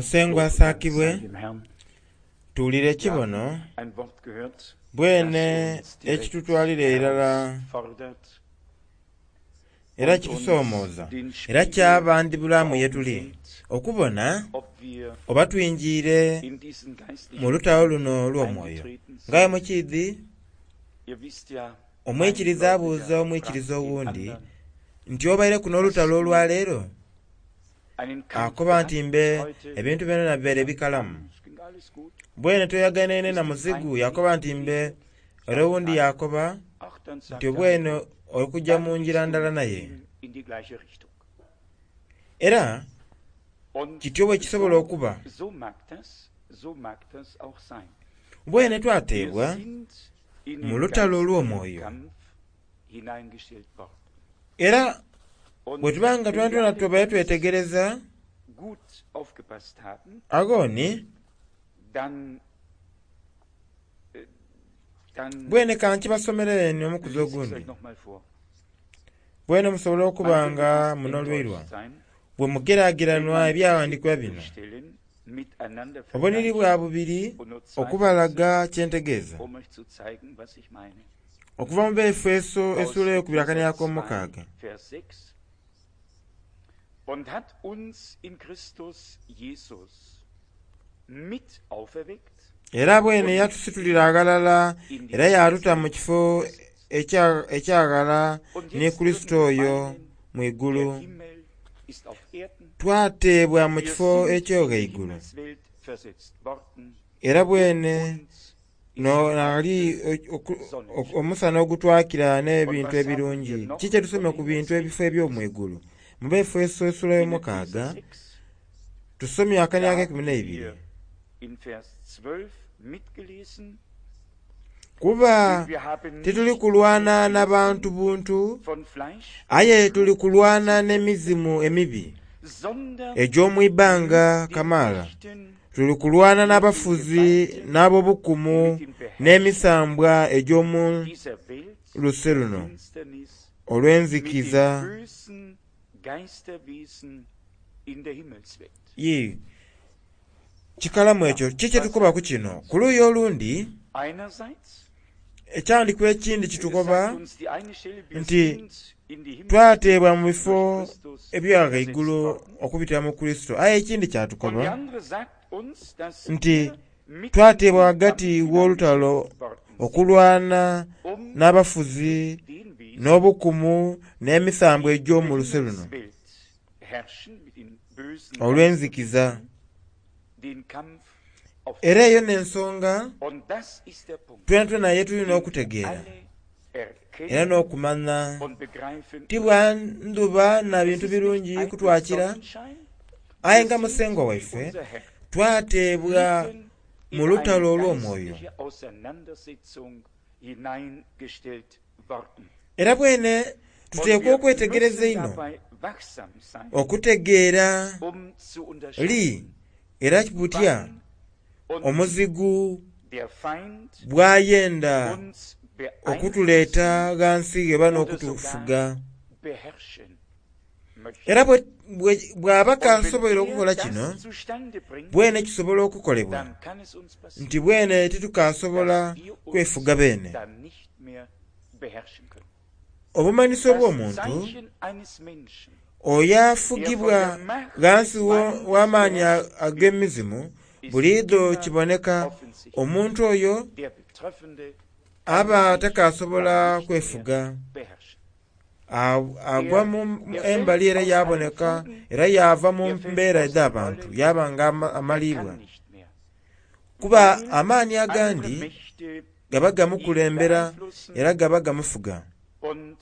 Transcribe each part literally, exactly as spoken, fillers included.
Musengwa Lob und Dank asaakibwe sei dem Herrn. tuwulire Wir ekibono haben ein Wort gehört, das bwene uns direkt ekitutwalira irala herausfordert era und uns kitusoomooza den era Spiegel kyabandibulamu vor ye Augen tuli hält, okubona ob wir oba twingiire in diesen mu geistlichen lutalo Kampf luno olw'omwoyo eingetreten nga bwe sind. mukiidhi Ihr wisst ja, ein omwikiriza abuuza Gläubiger omwikiriza fragt den owundi anderen, nti obaireku n'olutalo hast du olwaleero einen Kampf akoba nti gehabt mbe heute? ebintu byona bibeere Sagt, bikalamu "Ah, es ging alles gut. bwene toyaganaine na Bist dem muzigu Feind yakoba nicht nti mbe begegnet? era Sagt, owundi nein. yakoba Ach, dann nti sagt der obwene andere, okujja mu dann njira gehst du ndala mit naye ihm in die gleiche Richtung. Era Und kityo bwe kisobola so, okuba so mag das, so mag das auch sein. Bwene Wir twateebwa sind in mu den lutalo geistlichen olw'omwoyo Kampf hineingestellt worden. Era Und bwe tuba nga wenn wir twena twena alle tubaire ganz twetegereza gut aufgepasst haben, agooni dann, äh, dann bwene kankibasomerere ni omukuzi lese ich es ogundi euch nochmal vor. Bwene musobole okuba Man könnte nga fast munolwirwa enttäuscht sein, bwe wenn mugeraageranwa man ebyawandiikibwa bestimmte bino Stellen miteinander obuniri vergleicht bwa bubiri und nur zwei Verse, okubalaga kyentegeeza um euch zu zeigen, was ich meine. Okuva mu Befeso Aus essuula ey'okubiri Epheser akaniako zwei, omukaaga Vers sechs. Und hat uns in Christus Jesus mit auferweckt Era bwene und mit yatusitulira ihm aghalala in die era yatuta mu Himmelswelt kifo versetzt. ekya- ekyaghala Und ne jetzt würden Kristo wir oyo meinen, mu der igulu Himmel ist auf Erden. Twateebwa mu Wir kifo sind in die eky'oghaigulu Himmelswelt versetzt worden era und bwene uns ist no nali Gottes oku- oku- Sonnenschein. omusana ogutwakira Und n'ebintu was haben wir ebirungi noch Ki kyetusomye von ku bintu Himmelswelt ebifo eby'omwigulu mu Befeso essula In Epheser y'omukaaga sechs, tusomye akani da ak'ekumi haben n'eibiri wir in Vers zwölf mitgelesen, Kuba denn wir haben tituli nicht kulwana mit na bantu Wesen buntu von Fleisch aye und tuli Blut kulwana zu kämpfen, n'emizimu emibi sondern egy'omwibanga mit den kamaala Mächten, Tuli kulwana mit den n'abafuzi Gewalten, n'ab'obukumu mit den Beherrschern n'emisambwa egy'omu dieser Welt luse der luno Finsternis, mit den olw'enzikiza bösen Geisterwesen in der Himmelswelt. Ye kikalamu Ja, ekyo ki was kyetukoba sagt ku es kino uns? Ku luuyi olundi Einerseits ekyandikwa ekindi kitukoba sagt uns die eine Stelle, wir nti sind in die Himmelswelt twateebwa mu durch bifo Christus ebyaghaigulu versetzt worden. okubitira mu Kristo aye ekindi Und die kyatukoba andere sagt uns, dass nti wir mitten in twateebwa den ghagati Kampf w'olutalo hineingestellt worden sind, okulwana um n'abafuzi mit den Wesen, n'obukumu n'emisambwa die in der egy'omu luse luno Himmelswelt herrschen, mit den bösen olw'enzikiza Geisterwesen, den Kampf Era eyo aufzunehmen. n'ensonga Und das ist der Punkt, twena twena ye tulina den wir okutegeera alle era erkennen n'okumanya und begreifen ti müssen. bwa ndhuba na Es bintu ist nicht birungi eitel kutwakira Sonnenschein, aye wir nga sind, musengwa wie waife unser Herr, twateebwa mitten mu in lutalo eine olw'omwoyo geistliche Auseinandersetzung hineingestellt worden. Era bwene Und tuteekwa wir okwetegereza müssen einho dabei wachsam sein, okutegeera um zu li unterscheiden, era butya wann und wie omuzigu der Feind bw'ayenda uns okutuleeta beeinflussen ghansi eba oder sogar n'okutufuga beherrschen möchte. Era bwe- bwe- bw'aba Und wenn kasoboire er okukola kino das zustande bringt, bwene kisobola okukolebwa dann kann es uns passieren, nti bwene tetukasobola dass wir uns kwefuga beene dann nicht mehr beherrschen können. Obumanyiso Das bw'omuntu Zeichen eines Menschen, oyo der von afugibwa der Macht des ghansi wo- Feindes w'amaanyi beherrscht wird, ag'emizimu ist buliidho immer kiboneka offensichtlich. omuntu oyo Der Betreffende kann aba sich takasobola dann nicht mehr kwefuga beherrschen. A- agwa Er, mu er embali fällt era aus allen yaboneka Fugen, era yava mu er fällt mbeera aus der edh'abantu Rolle, yaba nga ama- er amalibwa kann nicht mehr, Kuba weil amaanyi andere agandi Mächte gaba ihn gamukulembera era beeinflussen gaba gamufuga und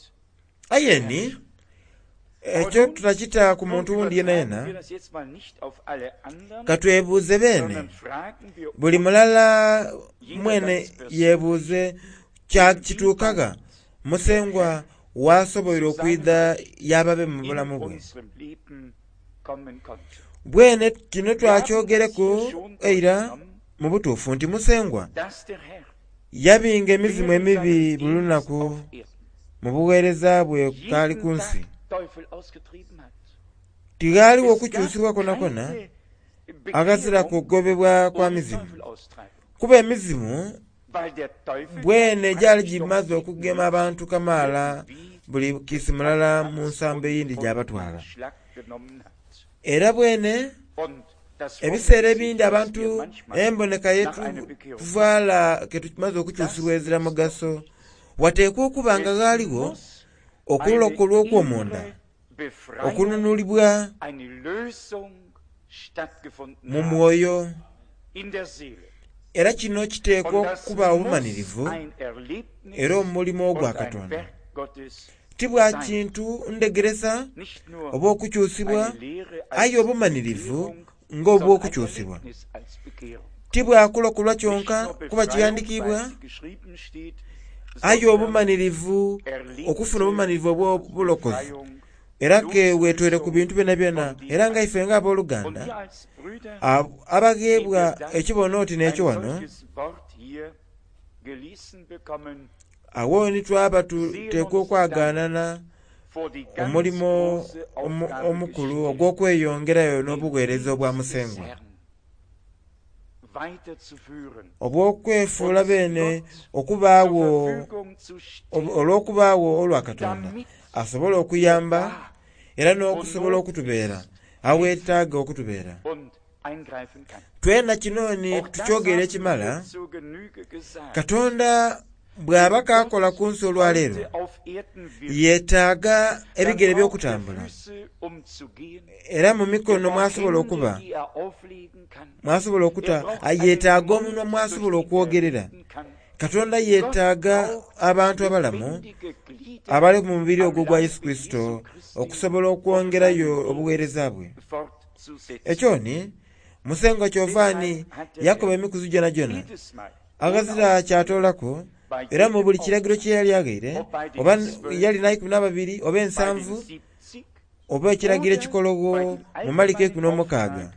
Aye ni beherrschen. Aber ekyo nun, tutakita ku nun muntu wundi yena übertragen yena wir das jetzt mal nicht auf alle anderen, katwebuuze beene sondern fragen wir buli uns, mulala jeder mwene ganz persönlich, yeebuuze kya kituukaga inwieweit der musengwa Herr wasoboire zu seinem okwidha Recht yababe mu in bulamu bwe unserem Leben kommen konnte. Bwene kino Wir haben das twakyogereku hier schon eira durchgenommen, mu butuufu nti musengwa dass der Herr yabinga emizimu während emibi seines buli Dienstes lunaku auf Erden mu buweereza bwe kaali jeden ku nsi Tag Teufel ausgetrieben hat. Tighaaliwo Es gab okukyusibwa kwonakona keine Aghazira Bekehrung kugobebwa kwa ohne mizimu Teufel austreiben. Kuba emizimu Weil der Teufel bwene gyali praktisch gimaze doch okugema nicht abantu kamaala irgendwie buli kiisi mulala mu Platz nsambo und eyindi und gy'abatwala. Schlag genommen hat. Era bwene Und das ebiseera wundert sich, ebindi dass abantu wir manchmal emboneka nach einer Bekehrung yetuvaala ketumaze okukyusibwa ezira mugaso wateekwa okuba nga Es ghaaliwo muss eine okulokolwa okw'omunda innere Befreiung, okununulibwa eine Lösung stattgefunden mu haben mwoyo. in der Seele. Era kino kiteekwa Und das okuba muss obumalirivu ein Erlebnis era omulimo und gwa ein Katonda Werk Gottes ti bwa sein. kintu ndegeresa Nicht nur oba okukyusibwa eine Lehre aye als obumalirivu Bekehrung, sondern ein ng'obw'okukyusibwa Erlebnis als Bekehrung. Ti bwakulokolwa Nicht kyonka nur kuba Befreiung, kiwandiikibwa weil sie geschrieben steht, aye sondern obumalirivu okufuna erlebte obumalirivu obw'obulokozi Befreiung, era ke weetwere ku Loslösung bintu byona byona von era dem nga ife Alten. ng'abooluganda Und wir als Brüder, ab- die abagheebwa wir dann ekibono oti ein n'ekyo wano solches Wort hier gelesen bekommen, awo ni twaba sehen tuteekwa uns dann okwagaanana vor die ganz omulimo große omu- Aufgabe omukulu gestellt, ogw'okweyongerayo den n'obuweereza obwa Dienst des Musengwa Herrn weiterzuführen, obw'okwefuula uns beene Gott zur okubaawo Verfügung zu stellen, olw'okubaawo olwa Katonda damit asobole er okuyamba da, era wo n'okusobola Not okutubeera ist, aweetaaga okutubeera. und eingreifen kann. Twena kino ni Auch das tukyogera haben ekimala wir zur Genüge gesagt. Katonda bw'aba Wenn kaakola Gott ku nsi olwaleero heute auf Erden wirkt, yeetaaga dann ebigere braucht er by'okutambula Füße, um zu gehen. era mu Er mikono braucht mwasobola Hände, okuba die er auflegen kann. mwasobola Er okuta braucht einen yeetaaga Mund, omunwa durch mwasobola den er okwogerera. reden kann. Katonda Gott yeetaaga braucht abantu abalamu lebendige Glieder abali mu mubiri am ogwo gwa Yesu Leibe Kristo Jesu Christi, okusobola um okwongerayo seinen Weg obuweereza bwe. fortzusetzen. Ekyo ni Musengwa Kyovaani Deshalb hat der yakoba Herr emikuzi gyona gyona jedes Mal ohne aghazira Ausnahme kyatoolako bei era mu jedem buli kiragiro Auftrag, kye yali aghaire ob bei den oba zwölf, yali n'ikumi n'ababiri oba bei den ensanvu siebzig oba ekiragiro oder ekikologo bei dem mu Maliko allgemeinen ekumi n'omukaaga. Auftrag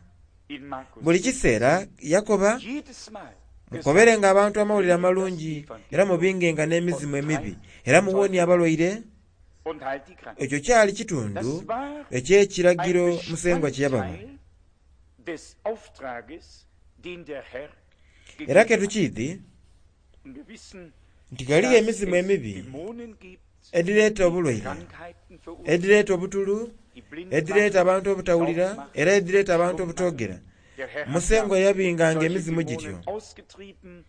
in Markus Buli kiseera siebzehn, yakoba jedes Mal mukoberenga gesagt, abantu amawulire predigt das amalungi era Evangelium mubingenga n'emizimu und emibi treibt era den muwonie Teufel abalwaire. aus und heilt die Kranken. Ekyo kyali kitundu Das war eky'ekiragiro ein Musengwa kye yabawa. Bestandteil des Auftrages, den der Herr Era gegeben ke hat. tukiidhi Und wir wissen, nti ghaliyo dass emizimu es emibi Dämonen gibt, edireeta die obulwaire Krankheiten verursachen, edireeta obutulu die blind edireeta machen, abantu die taub obutawulira machen, era edireeta die abantu stumm machen. obutoogera. Der Herr hat ja Musengwa yabinganga solche emizimu gityo Dämonen ausgetrieben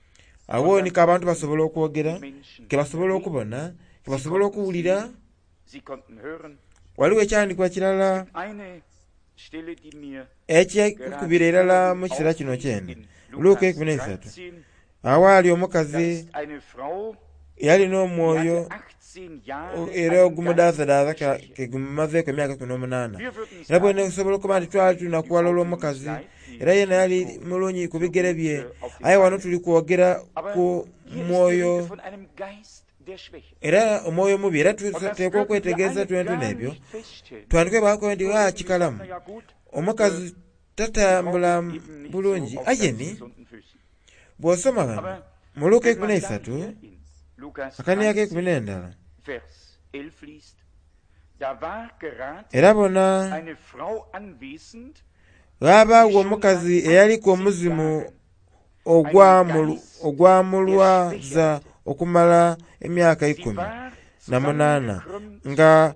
awo und dann niko abantu konnten basobola die okwogera Menschen ke wieder basobola reden, okubona ke sie basobola konnten okuwulira. sehen, sie konnten hören. Waliwo ekyawandiikibwa kirala Es gibt eine Stelle, die mir ekyenkubira gerade irala vor mu den kiseera kino Augen liegt, kyene in Luka Lukas ekumi n'eisatu dreizehn. awaali Da omukazi ist eine Frau, yalina die omwoyo hatte achtzehn o- Jahre era einen Geist ogumudaazadaaza der ka- Schwäche. ke gumumazeeku emyaka kumi n'omunaana. Wir würden Era bwene sagen, okusobola okuba nti twali die tunakuwala Frau tut uns olw'omukazi leid, die era ist yena nicht yali so, mulungi ku so bigere gut bye äh, auf den aye wano Beinen. tuli kwogera Aber ku hier ist die mwoyo Rede von einem Geist der Schwäche. era omwoyo mubi era Und das tuteekwa würden wir okwetegereza alle twentuna gar ebyo nicht feststellen. twandike bwakoba nti Wir ah würden gesagt, kikalamu na ja gut, omukazi äh, die Frau tatambula ist eben nicht so bulungi auf aye ganz ni gesunden Füßen. bw'osoma wano Aber mu Luka wenn ekumi man dann n'eisatu hier in Lukas akaniya k'ekumi dreizehn, n'endala Vers elf liest, da war gerade era bona eine Frau anwesend, die ghabaawo schon omukazi seit eyaliko achtzehn omuzimu Jahren einen ogwamulu- Geist der Schwäche ogwamulwaza hatte. okumala emyaka Sie ikumi war na munaana zusammengekrümmt nga und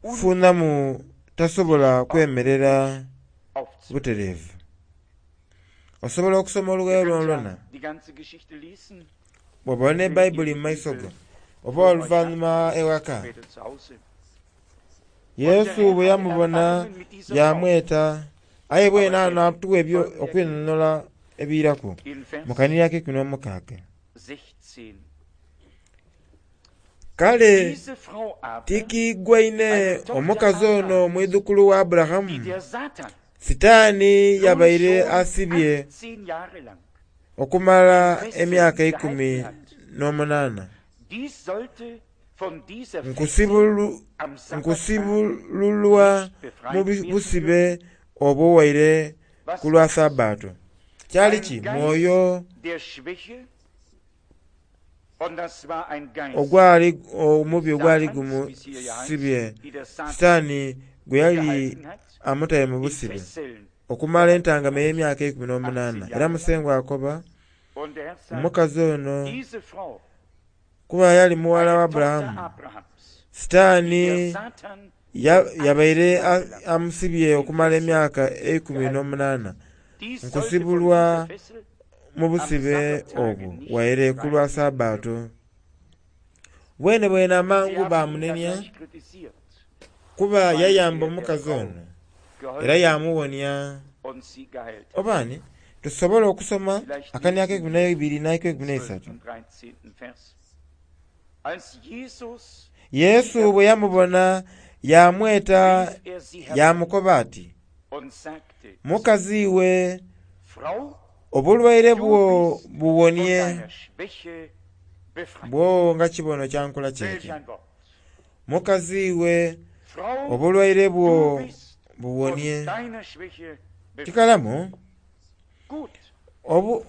gwamufunamu unfähig, tasobola sich kwemerera ordentlich aufzunehmen. butereevu. Osobola okusoma Ihr olugayo könnt lwonalwona ja die ganze Geschichte lesen, bw'oba ne wenn ihr Bayibuli die mu maiso go Bibel oba vor euch habt, oluvannyuma ewaka. später zu Hause. Und der Yesu Herr bwe hatte yamubona Erbarmen mit dieser Frau. yamweta aye bwene Aber ano er atuwa ebyo folgende Erkenntnis okwinnonola ebiiraku in mu Vers kanira k'ekumi n'omukaaga. sechzehn. Kale Diese Frau aber, tikiigwaine eine Tochter omukazi ono Abrahams, mwidhukulu wa die Aburahamu der Satan Sitaani nun yabaire schon asibye achtzehn Jahre lang okumala in Fesseln emyaka ikumi gehalten hat, n'omunaana. die sollte von dieser Fessel Nkusibulu- am Sabbattag nkusibululwa nicht mu befreit bi- werden busibe dürfen? obwo waire Was ku lwa war das? Sabbaato. Kyali Ein ki Geist mwoyo der Schwäche, und das war ein Geist ogwali omubi des ogwali Satans, wie es hier ja heißt, gumusibye die der Satan Sitaani gwe yali gehalten hat, amutaire mu in busibe Fesseln. okumala entangama ey'emyaka eikumi n'omunaana. Era musengwa akoba Und der Herr sagt, omukazi ono diese Frau, kuba yali muwala wa eine Tochter Aburahamu, Abrahams, Sitaani der Satan ya- yabaire a- amusibye okumala emyaka eikumi n'omunaana die sollte von nkusibulwa dieser Fessel mu busibe obwo waire ku lwa Sabbaato. Bwene bwene Sie amangu haben ihn da baamunenia gleich kritisiert, kuba yayamba omukazi ono era geholfen yamuwonia. und sie geheilt. Obaani tusobola okusoma Vielleicht akani ak'ekumi lesen wir n'ebiri n'ak'ekumi zwölf n'eisatu. und dreizehnten Vers. Als Jesus Yesu bwe yamubona yamweta rief er sie herbei yamukoba ati, und sagte, mukazi we Frau, obulwaire du bwo bist von buwonie deiner Schwäche befreit. bwo nga kibono kyankola Welch kyekyo. ein Wort. Mukazi we Frau, obulwaire bwo du bist von buwonie. deiner Schwäche befreit. Kikalamu Gut. obu Wo ist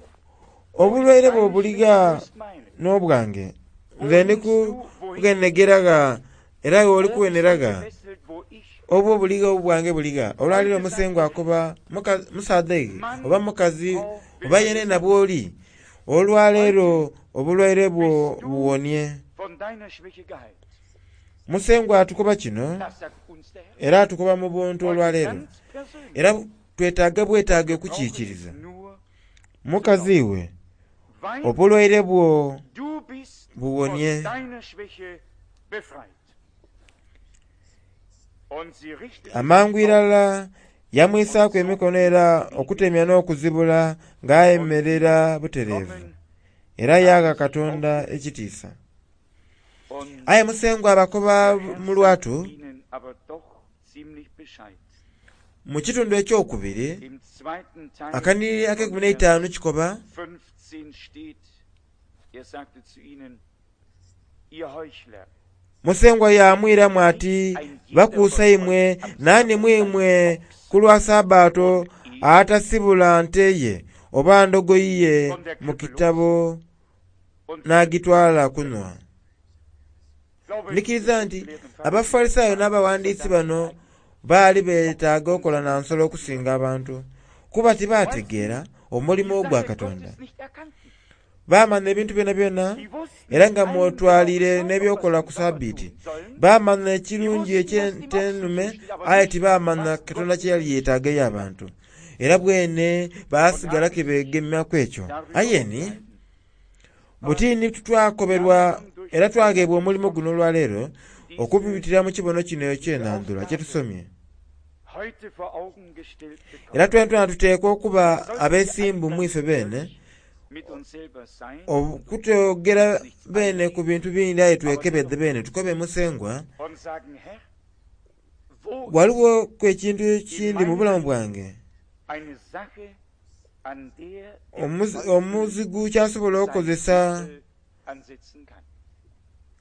obulwaire deine bwo Schwäche, wo buliga ist meine? n'obwange Wo nze ndi nimmst du, wohin kugenegeraga era oli Wo bist du kuweneraga gefesselt, wo ich? obwo buliga obwange buliga. Olwaliro Heute sagt musengwa der Herr, akoba muka- musaadha ige Mann, oba mukazi Frau, oba will yene ich na sagen, bw'oli olwaleero heute obulwaire bwo bist du buwonie. von deiner Schwäche geheilt. Musengwa atukoba kino Das sagt uns der Herr. era atukoba mu buntu Heute olwaleero ganz persönlich. era twetaaga bwetaaga Wir brauchen es okukiikiriza. nur zu Mukazi glauben. we Weil obulwaire bwo du bist von buwonie. deiner Schwäche befreit. Und sie richtete sich Amangu auf irala und yamwisaaku zog emikono ihn era nicht okutemya mehr. n'okuzibula Und ng'ayemerera sie butereevu kommen, era yagha haben sich Katonda aufgerichtet. ekitiisa. Und Aye musengwa abakoba der Herr mu sagt lwatu ihnen aber doch ziemlich Bescheid. mu kitundu ekyokubiri Im zweiten Teil akaniri von ak'ekumi Vers n'eitaanu kikoba fünfzehn steht, er sagte zu ihnen, ihr Heuchler, musengwa yamwiramu nicht ati ein jeder bakuusa von euch imwe am nani Sabbat mwimwe seinen ku Ochs lwa Sabbaato und Esel atasibula nte ye oba ndogoyi ye von der mu Krippe kitabo los und führt n'agitwala sie kunywa. zurück. Glaube ich, Ndikiriza die nti Schriftgelehrten Pharisäer Abafalisaayo waren n'abawandiisi verdammt bano eigentlich baali noch beetaaga okola unsere na nsolo okusinga abantu kuba Weil sie tibaategeera die omulimu gwa Sache Katonda. Gottes nicht erkannten. Baamanya ebintu byonna byonna Sie wussten era nga einen mwotwalire genau Zauber, was n'ebyokola sie ku im Sabbat Sabiiti. tun sollen. Baamanya Sie ekirungi wussten, was dem eky'ente Ochsen ennume zusteht, aber aye nicht, tibaamanya was Katonda Gott kye yali den Menschen yeetaaga zusteht. abantu. Era bwene Und baasigala haben ke sich beegemyaku ekyo. darüber Aye ni unterhalten. butini Aber twakoberwa wir haben durch era den twageebwa Heiland omulimu Gottes guno olwaleero diese okubitira mu kibono kino eky'enandula kye Aufgabe tusomye. heute vor Augen gestellt Era bekommen. twena twena tuteekwa okuba Sollten wir alle abeesimbu mu ganz ife beene ehrlich mit uns selber sein und uns okutwogera nichts beene ku einreden, bintu bingi aye aber twekebedde dennoch beene tukobe musengwa und sagen, Herr, wo ist waliwo ku ekintu in ekindi mu meinem bulamu Leben bwange eine Sache, an der der Omuzi- Teufel omuzigu ky'asobola seine okukozesa Fessel ansetzen kann?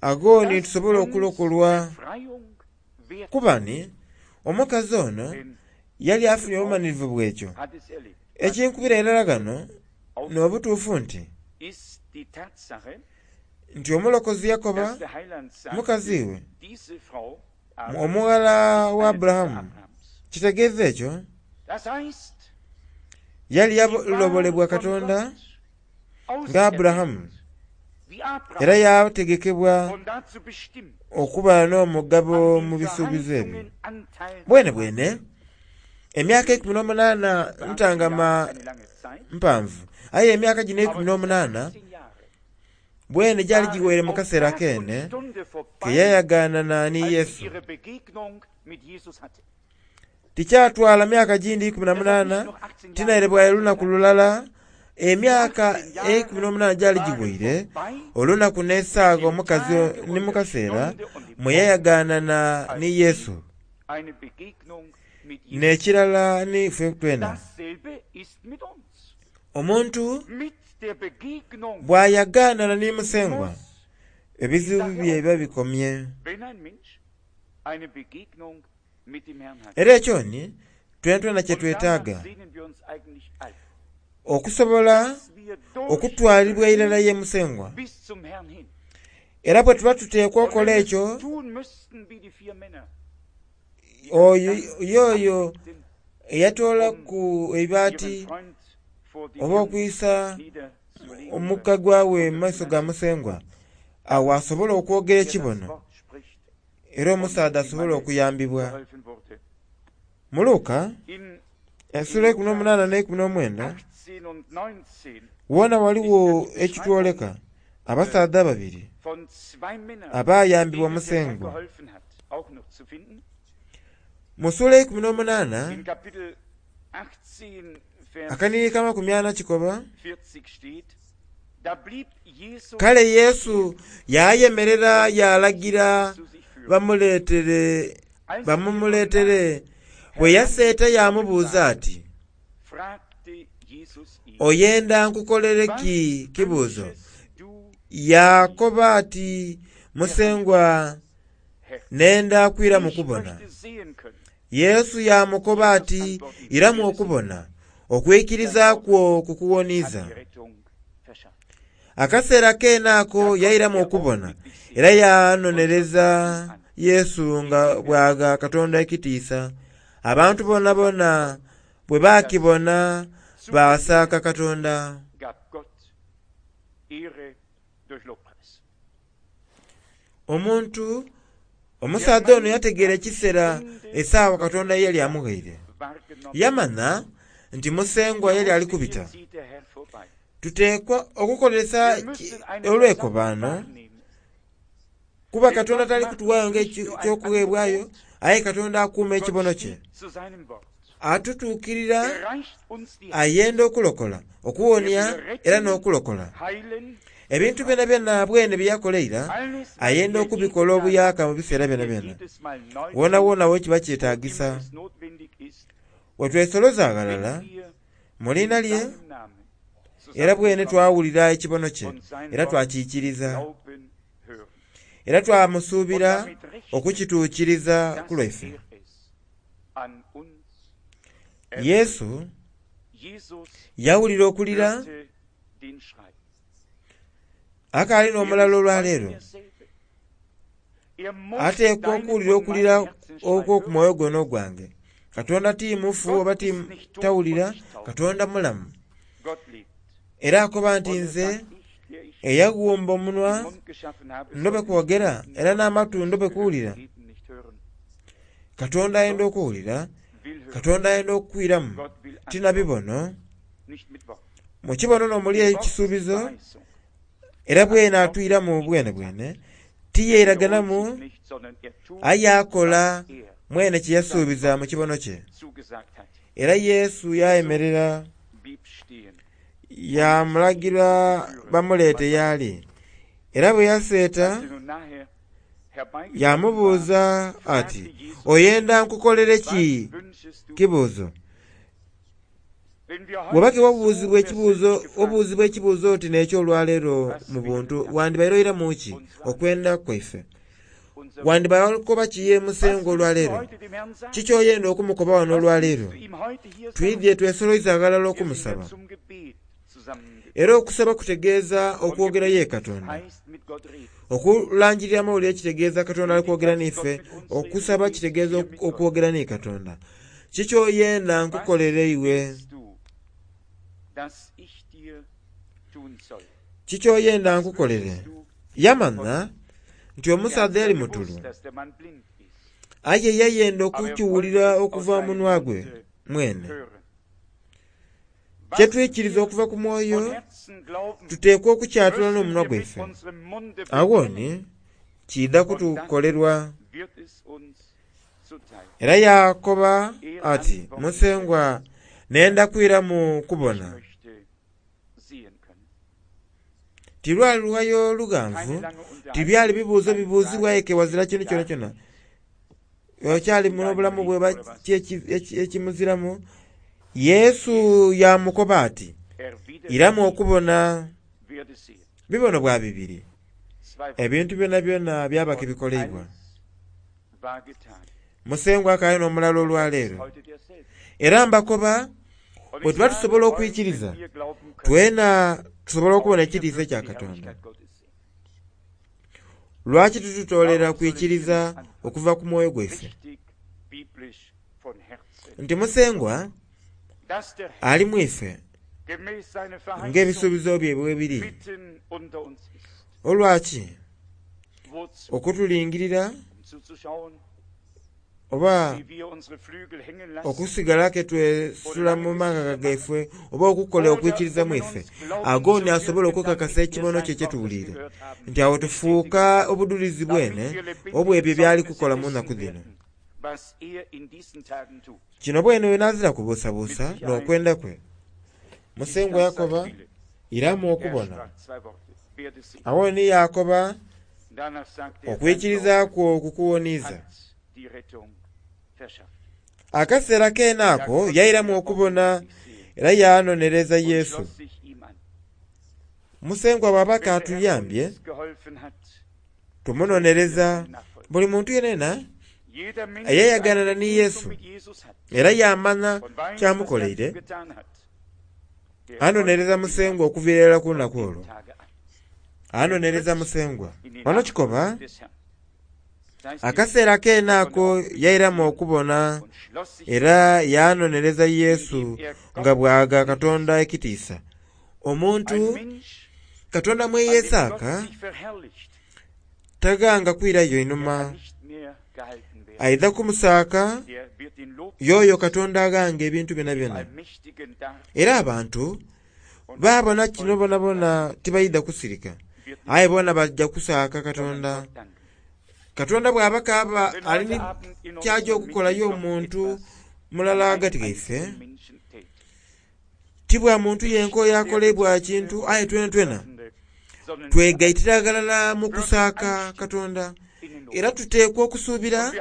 agooni Dass tusobole uns okulokolwa Befreiung wert kuba ni omukazi ono denn yali diese afunye Frau obumalirivu bw'ekyo. hat es erlebt. Was Ekinkubira irala gano auffällt, n'obutuufu nti ist die Tatsache, nti omulokozi yakoba dass der Heiland mukazi sagte, we diese Frau aber omuwala ist wa eine Tochter Aburahamu. Abrahams. Kitegeeza ekyo Das heißt, yali sie war yalobolebwa von Katonda Gott nga Aburahamu auserwählt, wie era Abraham, yategekebwa und dazu bestimmt, okuba n'omugabo an mu den bisuubizo ebyo. Verheißungen Anteil Bwene zu haben. bwene emyaka ekumi n'omunaana Für achtzehn ntangama Jahre ist eine lange Zeit, mpanvu aye emyaka gino ekumi aber diese n'omunaana achtzehn Jahre bwene gyali waren giweere mu auf kaseera Tag und keene Stunde ke vorbei, yayagaana ni als sie Yesu. ihre Begegnung mit Jesus hatte. Tikyatwala myaka gindi ikumi na Es hat nicht munaana noch achtzehn Jahre tinaire bwaire gedauert, lunaku lulala emyaka Die achtzehn ekumi Jahre n'omunaana gyali waren giweire vorbei, olunaku n'essaaga dem omukazi Tage ni und mu der kaseera Stunde und dem mwe Augenblick, yayagaanana als ni sie Yesu. eine Begegnung mit Jesus N'ekirala ni ffe twena Dasselbe ist mit uns. omuntu Mit der Begegnung bw'ayagaanana ni musengwa muss die ebizibu Sache bye biba aufhören. bikomye. Wenn ein Mensch eine Begegnung mit dem Herrn hat. Era ekyo ni twena twena kye Und danach twetaaga sehnen wir uns eigentlich alle, okusobola dass wir okutwalibwa irala durchdringen ye musengwa. bis zum Herrn hin. Era bwe tuba tuteekwa Und okukola wenn wir ekyo es tun müssten wie die vier Männer, Oyo y'oyo eyatoolaku eibaati oba okwisa omuka gwawe mu maiso ga Musengwa, awo asobola okwogera ekibono era omusaadha asobola okuyambibwa. Mu Luka esula eikumi n'omunaana n'eikumi n'omwenda wona ghaligho ekitwoleka abasaadha ababiri abayambibwa Musengwa. Mu sula eikumi n'omunaana akanhiriri k'amakumi ana kikoba, kale Yesu yayemerera yalagira bamuletere bamumuletere. Bwe yaseeta yamubuuza ati, oyenda nkukolere ki? Kibuuzo. Yakoba ati, Musengwa nenda kwiramu kubona. Yesu yamukoba ati, iramu okubona, okwikiriza kwo kukuwoniiza. Akaseera keene ako yairamu okubona era yanonereza Yesu nga bwagha Katonda ekitiisa. Abantu bonabona bwe bakibona basaaka Katonda. Omuntu omusaadha ono yategeera ekiseera esaawa Katonda ye yali amughaire. Yamanha nti Musengwa yali ali kubita. Tuteekwa okukozesa olwekobaano kuba Katonda tali kutuwaayo ng'ekyokughebwayo, aye Katonda akuuma ekibono kye. Atutuukirira ayenda okulokola, okuwonia era n'okulokola. Ebintu byonabyona bwene bye yakola eira ayenda okubikola obuyaka mu biseera byonabyona. Wonawona wekiba kyetagisa. Wetwesoloza aghalala mu liina lye era bwene twawulira ekibono kye era twakiikiriza era twamusuubira okukituukiriza ku lwaife. Yesu yawulira okulira akaali n'omulala olwaleero ateekwa okuwulira okulira okw'oku mwoyo guno gwange. Katonda ti mufu oba ti tawulira, Katonda mulamu. Era akoba nti nze eyaghumba omunwa ndobe kwogera era n'amatu ndobe kuwulira. Katonda ayenda okuwulira, Katonda ayenda okukwiramu ti na bibono. Mu kibono n'omuli ekisuubizo era bwene atwiramu bwene bwene tiyeraganamu aye akola mwene kye yasuubiza mu kibono kye. Era Yesu yayemerera yamulagira bamuleete y'ali. Era bwe yaseeta yamubuuza ati, oyenda nkukolere ki? Kibuuzo. Bw'oba tiwabuuzibwa ekibuuzo, obuuzibwa ekibuuzo oti n'eky'olwaleero mu buntu, wandibaire oiramu ki okwenda kwaife? Wandibaire okoba ki ye Musengwa olwaleero? Kiki oyenda okumukoba wano olwaleero? Twidhye twesoloiza aghalala okumusaba. Era okusaba kutegeeza okwogera ye Katonda. Okulangirira amawulire kitegeeza Katonda ali kwogera n'ife. Okusaba kitegeeza okwogera ni Katonda. Kiki oyenda nkukolere iwe? Kiki oyenda nkukolere? Yamanha nti omusaadha yali mutulu, aye yayenda okukiwulira okuva mu munwa gwe mwene. Kyetwikiriza okuva ku mwoyo tuteekwa okukyatula n'omunwa gwaife. Awo ni kiidha kutukolerwa. Era yakoba ati, Musengwa nenda kwiramu kubona. Tilwali lughayo lughanvu, tibyali bibuuzo bibuuzibwa aye ke ghazira kintu kyonakyona. Okyali n'obulamu bwe oba ki ekimuziramu. Yesu yamukoba ati, iramu okubona. Bibono bwa bibiri. Ebintu byonabyona byaba kibikoleibwa. Musengwa akaali n'omulala olwaleero. Era mbakoba bwe tuba tusobola okwikiriza, twena tusobola okubona ekitiisa ekya Katonda. Lwaki titutoolera kwikiriza okuva ku mwoyo gwaife? Nti Musengwa ali mu ife ng'ebisuubizo bye bwe biri. Olwaki? Okutulingirira oba okusigala ke twesula mu mangaga gaife oba okukola okwikiriza mu ife, agoni asobola okukakasa ekibono kye kyetuwuliire nti awo tufuuka obudulizi bwene obw'ebyo byali kukola mu nnaku dhino. Kino bwene wenazira kubuusabuusa n'okwenda kwe. Musengwa yakoba iramu okubona. Awo ni yakoba okwikiriza kwo kukuwoniiza. Akaseera keene ako yairamu okubona era yanonereza Yesu. Musengwa bw'aba atuyambye tumunonereza buli muntu yenena eyayaganana ni Yesu era yamanya kyamukoleire, anonereza Musengwa okuviira irala ku lunaku olwo. Anonereza Musengwa. Wano kikoba akaseera keene ako yairamu okubona era yanonereza Yesu nga bw'aga Katonda ekitiisa. Omuntu Katonda mweyesaaka tagaanga kwirayo inhuma, aidha kumusaaka yoyo Katonda aghanga ebintu byonabyona. Era abantu baabona kino bonabona tibaidha kusirika, aye bona bajja kusaaka Katonda. Katonda bw'aba kaaba ali kyaja okukolayo omuntu mulala ghagati ghaife, ti bwa muntu yenka oyo akolebwa kintu, aye twenatwena twegaitira ghalala mu kusaaka Katonda. Era tuteekwa okusuubira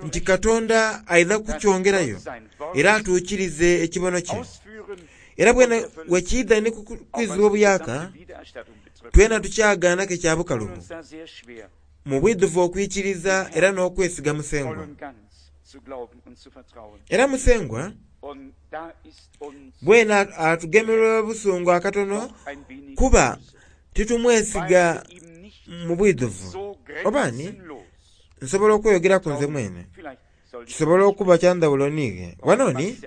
nti Katonda aidha kukyongerayo era atuukirize ekibono kye. Era bwene wekiidha ni kwizibwa obuyaka, twena tukyagaanaku ekya bukalubu mu bwidhuvu okwikiriza era n'okwesiga Musengwa. Era Musengwa bwene atugemerwa obusungu akatono kuba titumwesiga mu bwidhuvu. Oba ni nsobola okweyogeraku nze mwene, kisobola okuba kya ndhawulo niighe. Wano ni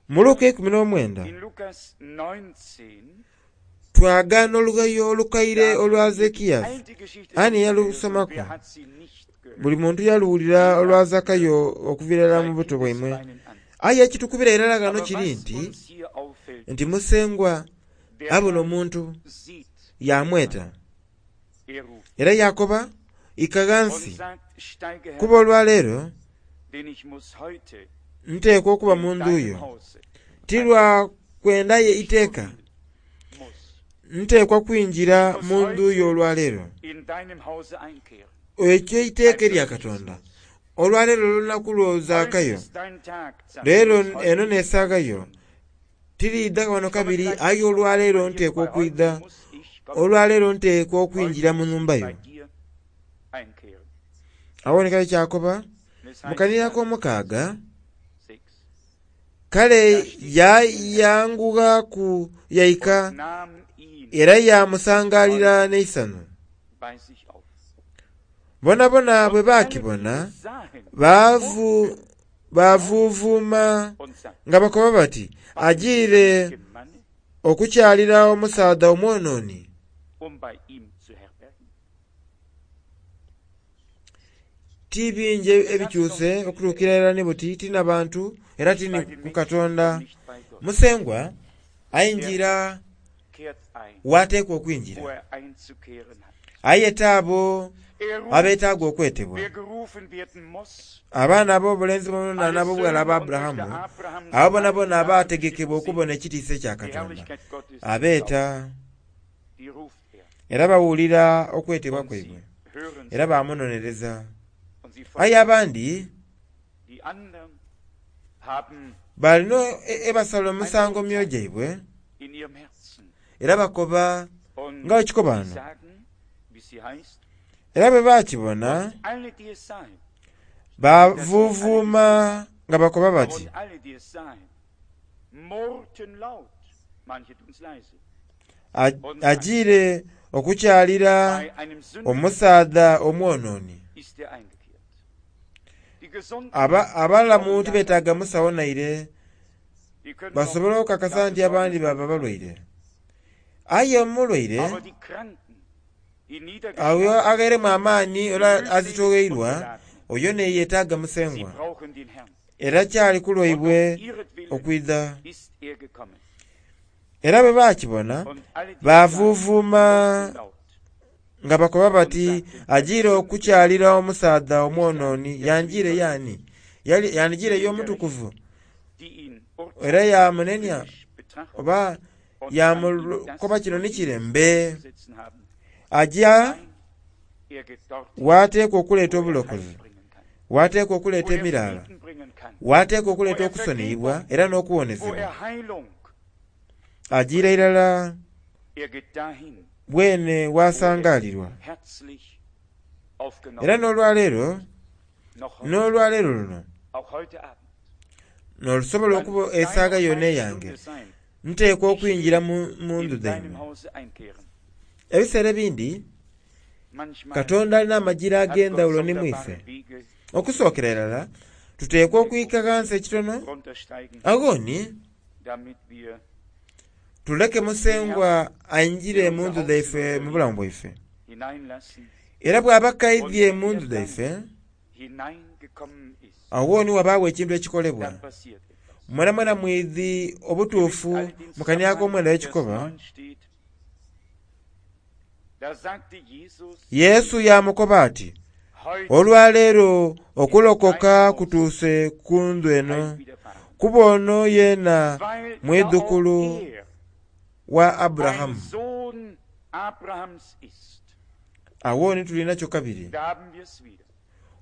mu Luka eikumi n'omwenda twagaana olugayo olukaire olwa Zekiyasi. Ani yalusomaku? Buli muntu yaluwulira olwa Zakayo okuviira irala mu buto bwaimwe. Aye ekitukubira irala ghano kiri nti nti Musengwa abona omuntu yamweta era yakoba ika ghansi, kuba olwaleero nteekwa okuba mu ndhu yo. Ti lwa kwendayo iteeka, nteekwa kwingira mu ndhu yo olwaleero. Ekyo iteeka erya Katonda. Olwaleero olunaku lwo Zakayo, leero eno n'esaaghayo, tiriidha wano kabiri, aye olwaleero nteekwa okwidha, olwaleero nteekwa okwingira mu nhumba yo. Awo ni kale kyakoba mu kanira ak'omukaaga, kale yayangughaku yaika era yamusangalira n'eisanhu. Bonabona bwe baakibona baavu baavuuvuuma nga bakoba bati ajiire okukyalira omusaadha omwonooni. Ti bingi ebikyuse okutuukira irala ni buti, ti na bantu era ti ni ku Katonda. Musengwa aingira waateekwa okwingira, ayeta abo abeetaaga okwetebwa. Abaana ab'obulenzi bonabona n'ab'obughala aba Aburahamu, abo bonabona abaategekebwa okubona ekitiisa ekya Katonda, abeeta era bawulira okwetebwa kwaibwe era bamunonereza. Aye abandi balina ebasala omusango mu myoyo gyaibwe era bakoba nga bwe kikoba wano. Era bwe baakibona baavuuvuuma nga bakoba bati ajiire okukyalira omusaadha omwonooni. Abalamu tibetaaga musawo naire basobola okukakasa nti abandi baba balwaire. Aye omulwaire oyo aghairemu amaani era azitogheirwa oyo neyetaaga Musengwa era kyali ku lwaibwe okwidha. Era bwe bakibona bavuvuuma nga bakoba bati ajiire okukyalira omusaadha omwononi. Yanjiire yani? Yandijiire y'omutukuvu era yamunenya oba yamukoba kino ni kire mbe. Aja wateekwa okuleeta obulokozi, wateekwa okuleeta emiraala, wateekwa okuleeta okusoniyibwa era n'okuwonezebwa. Ajiira irala bwene wasangalirwa. Era n'olwaleero n'olwaleero luno n'olusobola okuba esaaga yonna eyange nteekwa okwingira mu ndhu dhaimwe. Ebiseera ebindi Katonda alina amajira ag'endhawulo ni mwife. Okusookera irala tuteekwa okwika ghansi ekitono aghoni tuleke Musengwa aingire mu ndhu dhaife mu bulamu bwaife. Era bw'aba kaidhye mu ndhu dhaife aghoni wabaawo ekintu ekikolebwa. Mwena mwena mwidhi obutuufu mu kania ak'omwenda ekikoba. Yesu yamukoba ati olwaleero okulokoka kutuuse ku ndhu eno, kuba ono yeena mwidhukulu wa Aburahamu. Aghoni tulinakyo kabiri.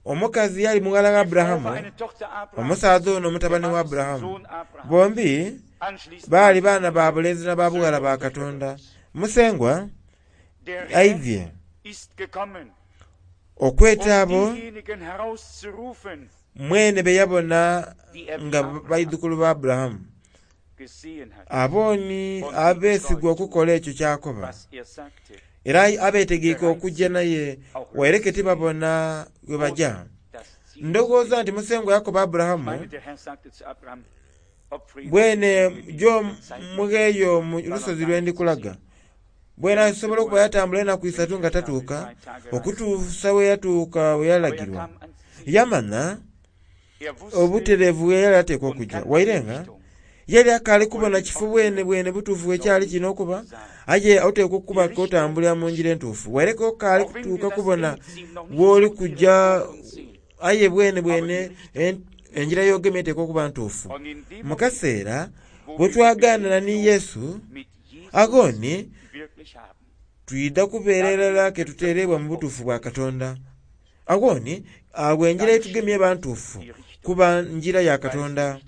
Omukazi yali mughala wa Aburahamu, omusaadha ono mutabani wa Aburahamu. Bombi baali baana ba bulenzi na ba bughala ba Katonda. Musengwa aidhye okweta abo mwene be yabona nga baidhukulu ba Aburahamu. Abooni abeesigwa okukola ekyo kyakoba era abeetegeike okujja naye waireke tibabona we baja. Ndowooza nti Musengwa yakoba Aburahamu bwene jo mugheeyo mu lusozi lwe ndikulaga. Bwene asobola okuba yatambula enaku isatu nga tatuuka okutuusa we yatuuka we yalagirwa. Yamanya obutereevu bwe yali ateekwa okujja waire nga yali akaali kubona kifo bwene bwene butuufu bwekyali kino okuba, aye oteekwa okuba k'otambulira mu ngira entuufu waireke okaali kutuuka kubona w'oli kujja, aye bwene bwene engira y'ogemye eteekwa okuba ntuufu. Mu kaseera bwe twagaanana ni Yesu aghoni twidha kubeera irala ke tuteerebwa mu butuufu bwa Katonda. Aghoni agho engira yetugemye eba ntuufu kuba ngira ya Katonda.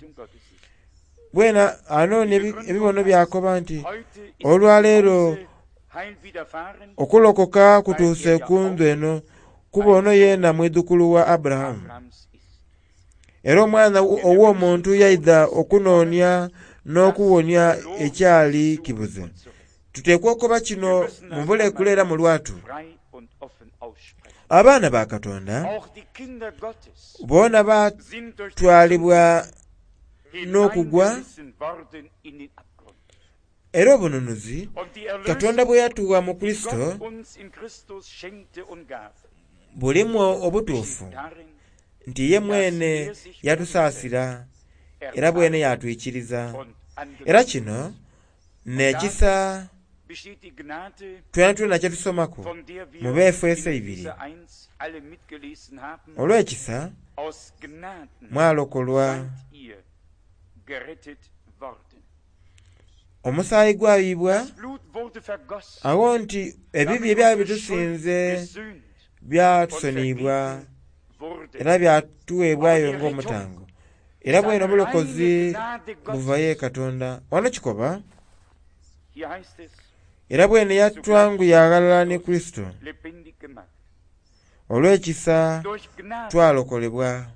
Bwena anoonia ebibono byakoba nti olwaleero okulokoka kutuuse ku ndhu eno, kuba ono yeena mwidhukulu wa Aburahamu. Era omwana ow'omuntu yaidha okunoonia n'okuwonia ekyali kibuze. Tuteekwa okukoba kino mu bulekule era mu lwatu. Abaana ba Katonda boona batwalibwa n'okugwa era obununuzi Katonda bwe yatuwa mu Kurisito bulimu obutuufu nti ye mwene yatusaasira era bwene yatwikiriza. Era kino n'ekisa twena twena kye tusomaku mu Baefeso ibiri. Olw'ekisa mwalokolwa. Omusaayi gwayibwa agho nti ebibi ebyali bitusinze byatusoniyibwa era byatuweebwayo ng'omutango. Era bwene obulokozi buva ye Katonda. Wano kikoba era bwene yatwanguya aghalala ni Kurisito. Olw'ekisa twalokolebwa.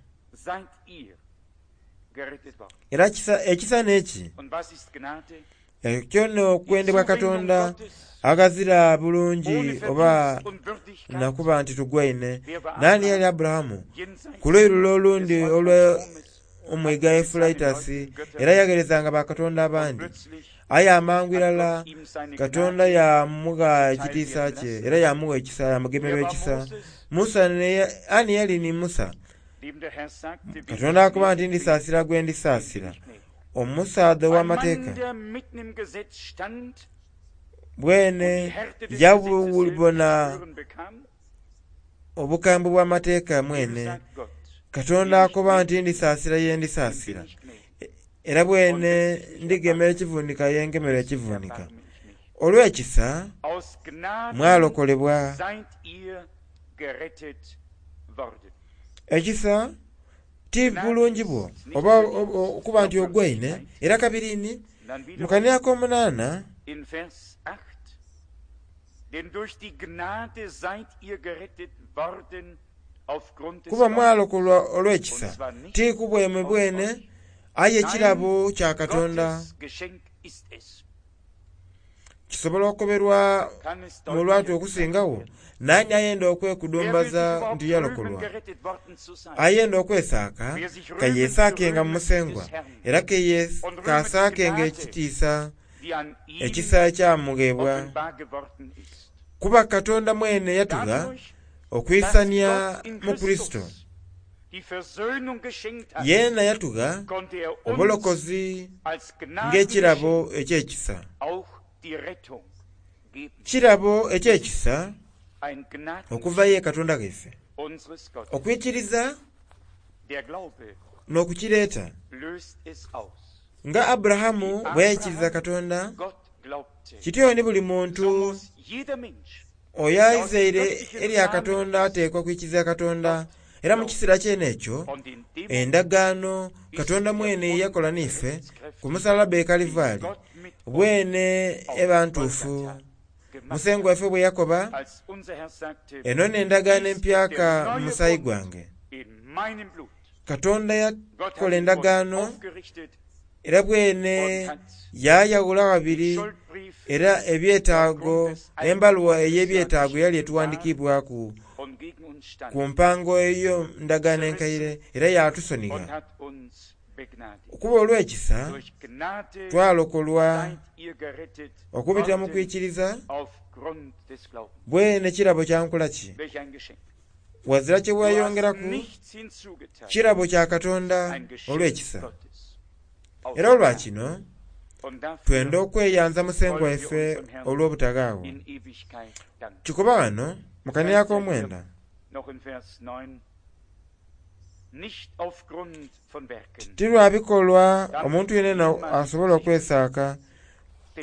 Era ekisa n'eki Ekyo n'okwendebwa Katonda aghazira bulungi oba nakuba nti tugwaine. Nani yali Aburahamu? Ku luuyi lule olundi olw'omwiga Eufuraitasi, era yagheerezanga bakatonda abandi. Aye amangu irala Katonda yamugha ekitiisa kye era yamugha ekisa, yamugemerwa ekisa. Musa ani yali ni Musa? Katonda akuba nti ndisaasira gwe ndisaasira. Omusaadha ow'amateeka bwene yabubona obukambwe bw'amateeka mwene. Katonda akoba nti ndisaasira ye ndisaasira, era bwene ndigemera ekivunika ye ngemera ekivunika. Olw'ekisa mwalokolebwa. Ekisa ti bulungi bwo oba okuba nti ogwaine. Era kabirini mu kanira ak'omunaana kuba mwalokolwa olw'ekisa, ti ku bwemwe bwene, aye ekirabo kya Katonda. Kisobola okukoberwa mu lwatu okusingawo. Nani ayenda okwekudumbaza nti yalokolwa? Ayenda okwesaaka kayeesaakenga mu Musengwa, era kasaakenga ekitiisa ekisa ekyamughebwa. Kuba Katonda mwene yatugha okwisania mu Kurisito. Yeena yatugha obulokozi ng'ekirabo eky'ekisa. Kirabo eky'ekisa okuva ye Katonda ghaife. Okwikiriza n'okukireeta. Nga Aburahamu bwe yaikiriza Katonda, kityo ni buli muntu oyo aizaire erya Katonda ateekwa kwikiriza Katonda. Era mu kiseera kyene ekyo endagaano Katonda mwene yakola n'ife ku musalaba e Kalivaali bwene eba ntuufu. Musengwa waife bwe yakoba, eno n'endagaano empyaka mu musaayi gwange. Katonda yakola endagaano era bwene yayawula babiri, era ebyetaago embaluwa ey'ebyetaago yali etuwandiikibwaku ku mpango eyo ndagaano enkaire, era yatusonigha. Okuba olw'ekisa twalokolwa okubitira mu kwikiriza bwene kirabo kya nkola ki? Wazira kye wayongeraku, kirabo kya Katonda olw'ekisa. Era olwa kino twenda okweyanza Musengwa waife olw'obutaghaawo. Kikoba wano mu kanira ak'omwenda ti lwa bikolwa omuntu yenena asobola okwesaaka,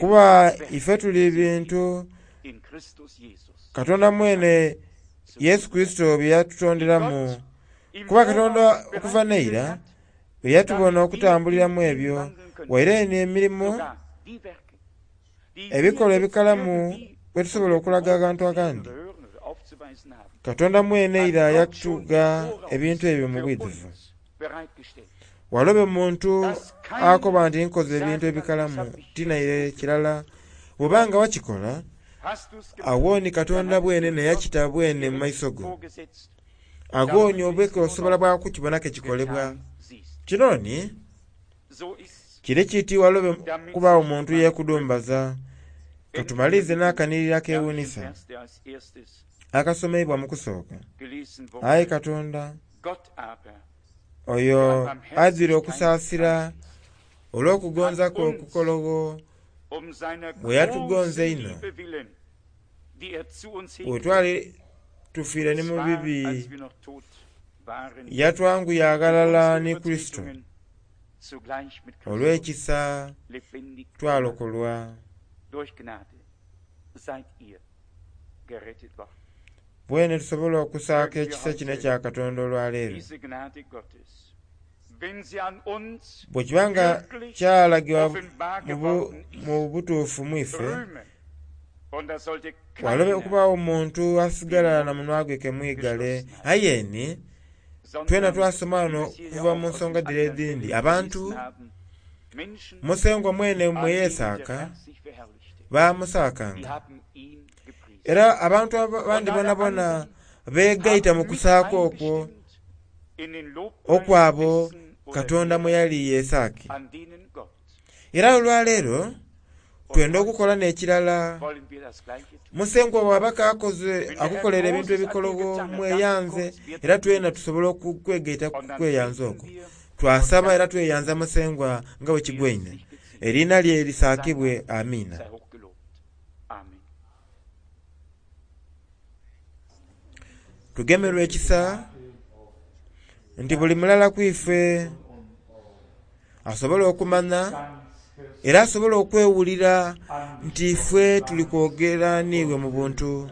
kuba ife tuli bintu Katonda mwene Yesu Kurisito bye yatutonderamu. Kuba Katonda okuva n'eira bwe yatubona okutambuliramu ebyo, waire eno emirimo ebikolwa ebikalamu bwe tusobola okulaga abantu agandi. Katonda mwene eira yatugha ebintu ebyo mu bwidhuvu. Walobe muntu akoba nti nkoze ebintu ebikalamu tinaire kirala. Bw'obanga wakikola, awo ni Katonda bwene neyakita bwene mu maiso go. Ago ni obweke osobola bwa kukibona ke kikolebwa. Kino ni kiri kiti walobe kubaawo muntu yeekudumbaza. Katumalirize n'akanirira akeewuunisa akasomeibwa mu kusooka. Aye Katonda oyo azira okusaasira olw'okugonza kwe okukologho bwe yatugonza einho, bwe twali tufiire ni mu bibi, yatwanguya aghalala ni Kurisito. Olw'ekisa twalokolwa. Bwene tusobola okusaaka ekisa kino ekya Katonda olwaleero. Bwe kiba nga kyalagibwa mu butuufu mu ife, walobe okubaawo omuntu asigala na munwa gwe kemwigale. Aye ni twena twasoma wano okuva mu nsonga dhire edhindi, abantu Menschen, Musengwa mwene an mwe denen der yeesaaka Herr sich verherrlichte, die baamusaakanga haben ihn gepriesen. era abantu Und abandi alle bonabona anderen beegaita haben mu mit kusaaka okwo eingestimmt in den Lobpreis okwabo dessen oder Katonda mwe derer, yali yeesaake an denen Gott. era olwaleero Und twenda heute okukola n'ekirala wollen wir das Gleiche tun. Musengwa bw'aba kaakoze Wenn der Herr akukolera ebintu Großes an dir ebikologo getan hat, dann mweyanze kurz, wir era danken twena dir. tusobole okwegaita Und dann kweyanza beten okwo wir und twasaba era danken tweyanza Musengwa nga bwe wie es kigwaine sich geziemt. eriina lye Sein lisaakibwe Name amiina sei hochgelobt. Amen. Tugemerwa ekisa nti buli mulala ku ife asobola okumanya era asobola okwewulira nti ife tuli kwogera niiwe mu buntu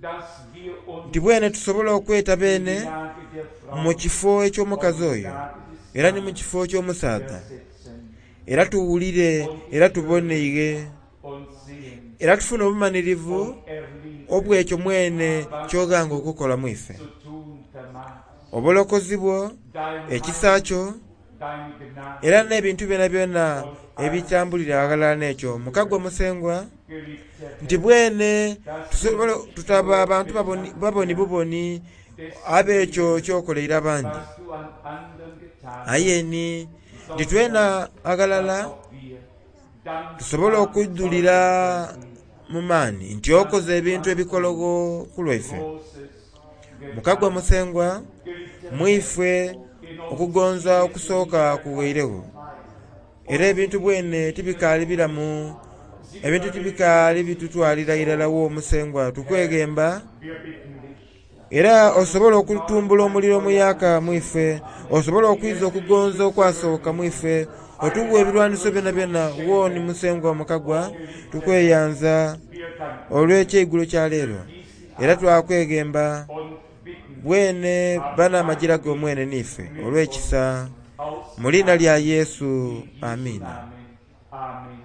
Dass wir uns nti bwene tusobola okweta in die beene Lage der Frau mu kifo eky'omukazi und die oyo Lage des era ni mu Mannes kifo ky'omusaadha versetzen era tuwulire era tuboneire und sehen era tufune obumanirivu und erleben, obw'ekyo mwene was ky'oghanga okukola mu ife zu tun vermagst. obulokozi bwo Dein ekisa Heil, kyo deine Gnade, era n'ebintu byona byona ebitambulira aghalala n'ekyo mukagwa Musengwa geliebter nti Herr, bwene dass tusobola wir dich tutaba so abantu baboni bedanken baboni buboni ab'ekyo kyokoleire abandi was du an anderen getan aye ni nti twena hast, aghalala dass auch wir tusobole dankbar okujjulira zeugen können, mu maani nti dass okoze du ebintu an ebikologo ku lwaife Großes mukagwa getan. Musengwa Geliebter mu Herr, ife in uns okugonza wird okusooka nicht kuweiregho erkannt era ebintu bwene tibikaali biramu Sie ebintu überwinden tibikaali bitutwalira irala wo Musengwa Herr, tukwegemba wir bitten dich, era von osobola neuem okutumbula ein omuliro Feuer omuyaka mu anzuzünden, ife osobola die okwiza es okugonza nicht okwasooka mu möglich, ife otuwa eine ebirwaniso byona Waffenrüstung byona wooni schenken. Musengwa mukagwa O geliebter Herr, tukweyanza wir danken dir olw'ekyeigulo kya leero für diesen era Abend twakwegemba und bitten dich, bwene hab bana amajira Dank g'omwene n'ife mit olw'ekisa uns aus mu liina lya Gnade. Yesu In Jesu amiina Namen. Amen.